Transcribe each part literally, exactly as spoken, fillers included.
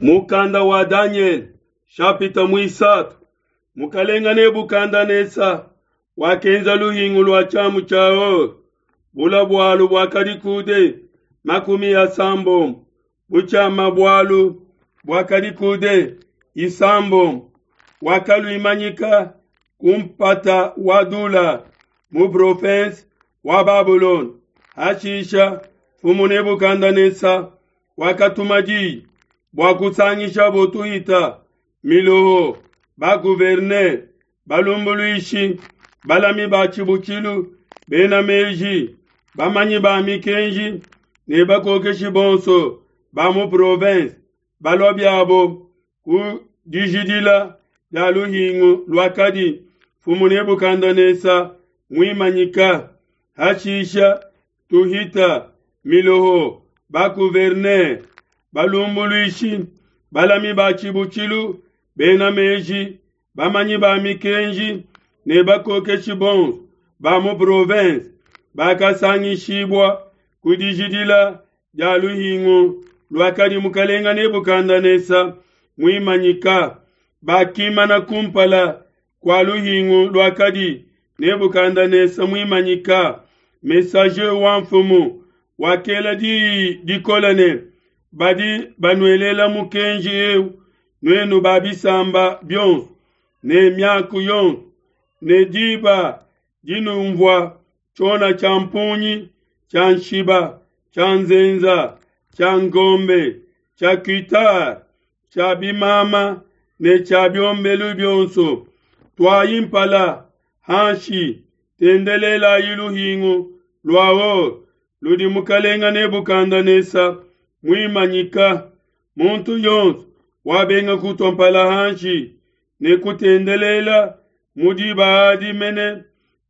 Mukanda wa Danyele shapita muisatu. Mukalenga Nebukadnesa wakenza luhingu lua tshiamu tshia or, bula bualu buakadi coude makumi asambombo, butshiama bualu buakadi coude isambombo. Wakaluimanyika ku mpata wa Dula mu province wa Babulone. Hashisha mfumu Nebukadnesa wakatuma diyi bua kusangishabo tuhita, miloho, ba-gouverneur, balumbuluishi, balami ba tshibutshilu, bena meji, bamanyi ba mikenji ne bakokeshi bonso ba mu province, balua biabo ku dijidila dia luhingu luakadi mfumu Nebukadnesa muimanyika. Hashisha tuhita, miloho, ba-gouverneur, balumbuluishi, balami ba tshibutshilu, bena meji, bamanyi ba mikenji ne bakokeshi bonso ba mu province bakasangishibua ku dijidila dia luhingu luakadi mukalenga Nebukadnesa muimanyika. Bakimana kumpala kua luhingu luakadi Nebukadnesa muimanyika. Messager wa mfumu wakela diyi dikole ne, badi banuelela mukenji eu, nuenu ba bisamba bionso ne miaku yonso, ne diba dinumvua tshiona tshia mpungi, tshia nshiba, tshia nzenza, tshia ngombe, tshia kitare, tshia bimama ne tshia biombelu bionso, tuayi mpala hanshi, tendelelayi luhingu lua or ludi mukalenga Nebukadnesa muimanyika. Muntu yonso wabenga kutua mpala hanshi ne kutendelela mu diba adi mene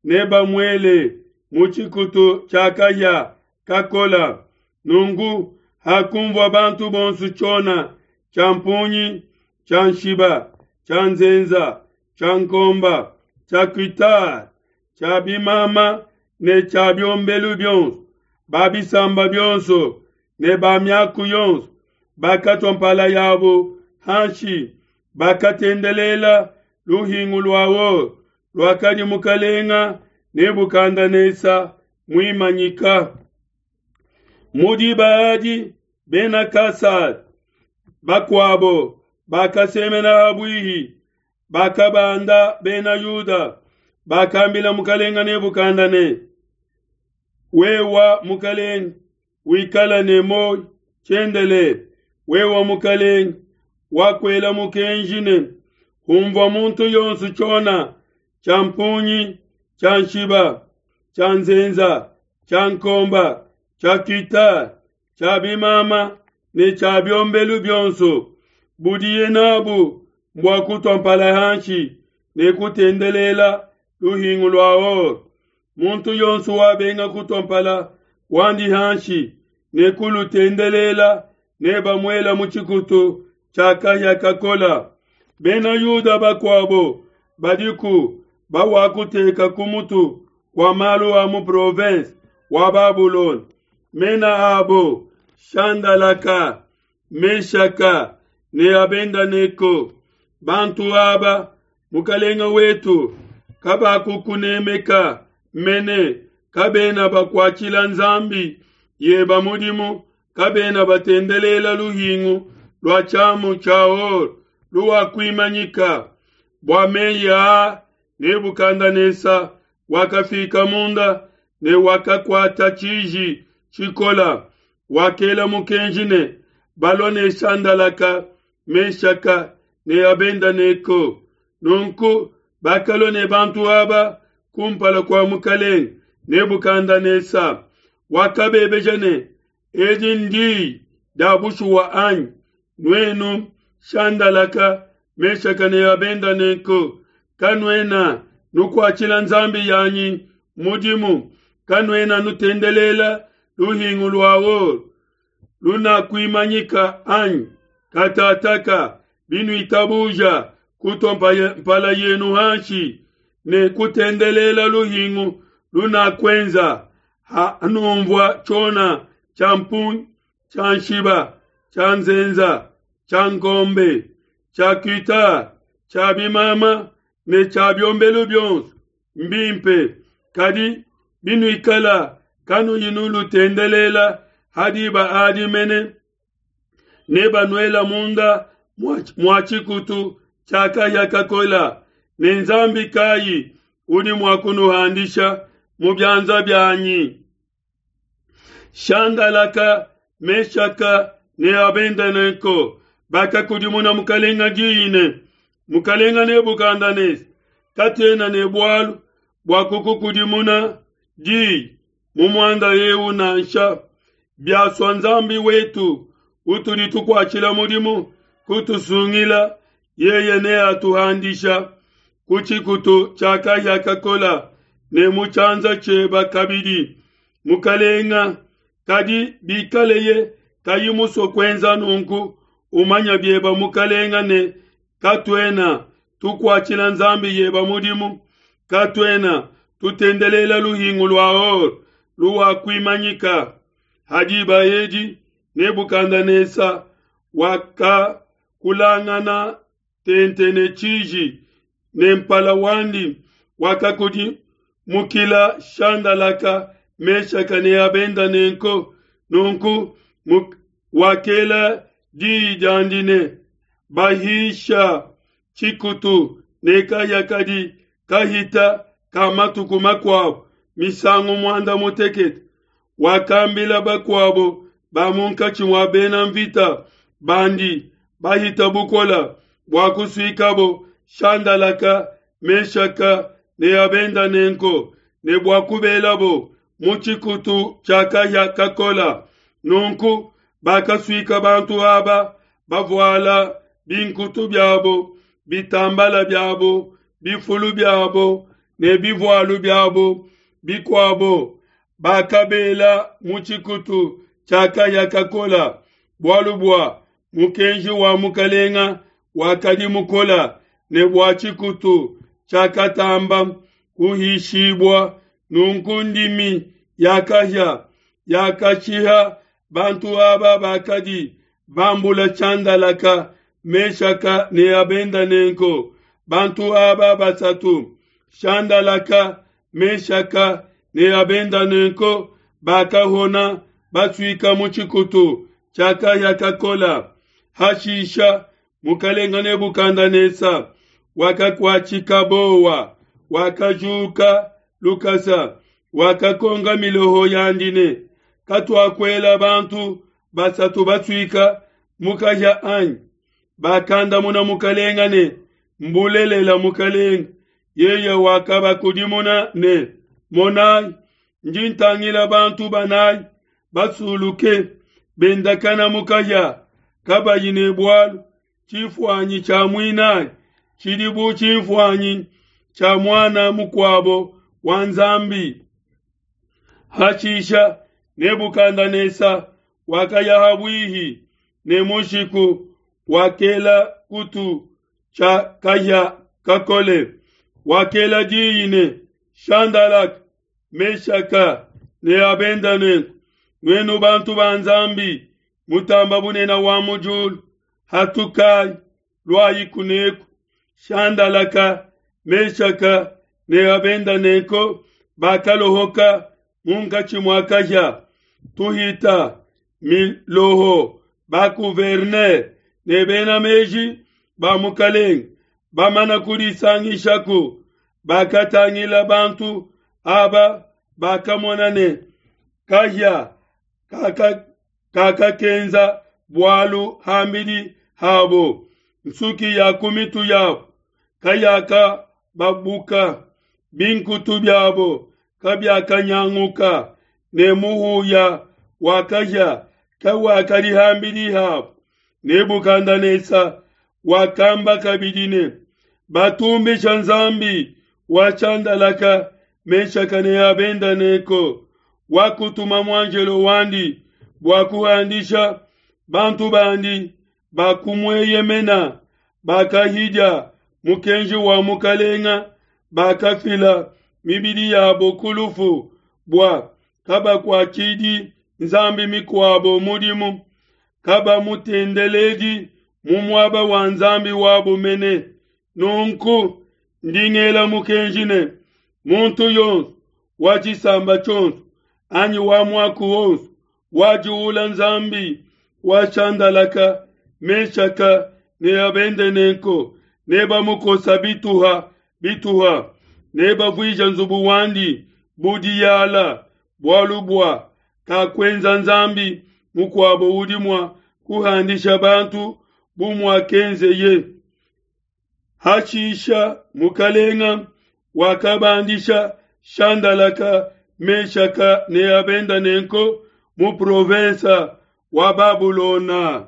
nebamuele mu tshikutu tshia kahia kakola. Nunku hakumvua bantu bonso tshiona tshia mpungi, tshia nshiba, tshia nzenza, tshia nkomba, tshia kitare, tshia bimama ne tshia biombelu bionso, ba bisamba bionso ne ba miaku yonso bakatua mpala yabo hanshi, bakatendelela luhingu lua or luakadi mukalenga Nebukadnesa muimanyika. Mu diba adi bena Kasada bakuabo bakasemena habuihi, bakabanda bena Yuda, bakambila mukalenga Nebukadnesa ne, wewa mukalenga wikala ne muoyo tshiendelele, wewa mukalenga wakuela mukenji ne, humvua muntu yonso tshiona tshia mpungi, tshia nshiba, tshia nzenza, tshia nkomba, tshia kitare, tshia bimama ne tshia biombelu bionso, budiye nabu mbua kutua mpala hanshi ne kutendelela luhingu lua or. Muntu yonso wabenga kutua mpala wandi hanshi ne kulutendelela nebamuela mu tshikutu tshia kahia kakola. Bena Yuda bakuabo badiku bawakuteka ku mutu kua malu a mu province wa Babulone, mena abo Shandalaka, Meshaka ne Abedenego. Bantu aba mukalenga wetu kabakukunemeka mene, kabena bakuatshila nzambi yeba mudimu, kabena batendelela luhingu lua tshiamu tshia or luwakuimanyika. Bua meyi aa Nebukadnesa wakafika munda ne wakakuata tshiji tshikola. Wakela mukenji ne balua ne Shandalaka, Meshaka ne Abedenego. Nunku bakalua ne bantu aba kumpala kua mukalenga Nebukadnesa. Wakabebeja ne, edi ndiyi dia bushuwa anyi? Nuenu Shandalaka, Meshaka ne Abedenego, kanuena nukuatshila nzambi yanyi mudimu, kanuena nutendelela luhingu lua or lunakuimanyika anyi? Katataka binuitabuja kutua mpala yenu hanshi ne kutendelela luhingu lunakuenza, hanumvua tshiona tshia mpungi, tshia nshiba, tshia nzenza, tshia ngombe, tshia kuita, tshia bimama ne tshia biombelu bionso mbimpe, kadi binuikala kanuyi nulutendelela ha diba adi mene, nebanuela munda mua tshikutu tshia kahia kakola, ne Nzambi kayi udi mua kunuhandisha mu bianza bianyi? Shandalaka, Meshaka ne Abedenego bakakudimuna mukalenga diyi ne, Mukalenga Nebukadneza, katuena ne bualu bua kukukudimuna diyi mu muanda eu nansha. Biasua Nzambi wetu utudi tukuatshila mudimu kutusungila, yeye neatuhandisha ku tshikutu tshia kahia kakola ne mu tshianza tshieba kabidi, mukalenga. Kadi bikaleye kayi musue kuenza nunku, umanya bieba mukalenga ne katuena tukuatshila Nzambi yeba mudimu, katuena tutendelela luhingu lua or luwakuimanyika. Ha diba edi Nebukadneza wakakulangana tente ne tshiji, ne mpala wandi wakakudimukila Shandalaka, Meshaka ne Abedenego. Nunku wakela diyi diandi ne, Bahisha tshikutu ne kahia kadi kahita ka matuku makuabo misangu muanda mutekete. Wakambila bakuabo ba munkatshi mua bena mvita bandi bahita bukola bua kusuikabo Shandalaka, Meshaka ne Abedenego ne bua kubelabo mu tshikutu tshia kahia kakola. Nunku bakasuika bantu aba bavuala binkutu biabo, bitambala biabo, bifulu biabo ne bivualu biabo bikuabo, bakabela mu tshikutu tshia kahia kakola, bualu bua mukenji wa mukalenga wakadi mukola ne bua tshikutu tshiakatamba kuhishibua. Nunku ndimi ya kahia yakashiha bantu aba bakadi bambula Shandalaka, Meshaka ne Abedenego. Bantu aba basatu, Shandalaka, Meshaka ne Abedenego, bakahona basuika mu tshikutu tshia kahia kakola. Hashisha mukalenga Nebukadneza wakakuatshika bowa, wakajuka lukasa, wakakonga miloho yandi ne, katuakuela bantu basatu basuika mu kahia anyi? Bakandamuna mukalenga ne, mbulelela mukalenga. Yeye wakabakudimuna ne, monai, ndi ntangila bantu banayi basuluke bendakana mu kahia kabayi ne bualu. Tshifuanyi tshia muinayi tshidi bu tshifuanyi tshia muana mukuabo wa Nzambi. Hashisha Nebukadneza wakaya habuihi ne mushiku, wakela kutu tshia kahia kakole, wakela diyi ne, Shandalaka, Meshaka ne Abedenego, nuenu bantu ba Nzambi mutamba bunene wa mu diulu, hatukai, luayi kuneku. Shandalaka, Meshaka ne Abedenego bakalohoka munkatshi mua kahia. Tuhita miloho bakuverner ne bena meji ba mukalenga bamana kudisangishaku, bakatangila bantu aba, bakamona ne kahia kaka kakakenza bualu hambidi habo, nsuki ya ku mitu yabo kayakababuka, binkutu biabo kabiakanyanguka, ne muhuya wa kahia kawakadi hambidi habo. Nebukadneza wakamba kabidi ne, batumbisha Nzambi wa Shandalaka, Meshaka ne Abedenego, wakutuma muanjelo wandi bua kuhandisha bantu bandi bakumueyemena, bakahidia mukenji wa mukalenga, bakafila mibidi yabo ku lufu bua kabakuatshidi nzambi mikuabo mudimu, kabamutendeledi mu muaba wa nzambi wabo mene. Nunku ndi ngela mukenji ne, muntu yonso wa tshisamba tshionso anyi wa muaku wonso wajuula Nzambi wa Shandalaka, Meshaka ne Abedenego nebamukosa bituha bituha, nebavuije nzubu wandi bu diyala, bualu bua kakuenza nzambi mukuabo udi mua kuhandisha bantu bu muakenzeye. Hashisha mukalenga wakabandisha Shandalaka, Meshaka ne Abedenego mu province wa Babulona.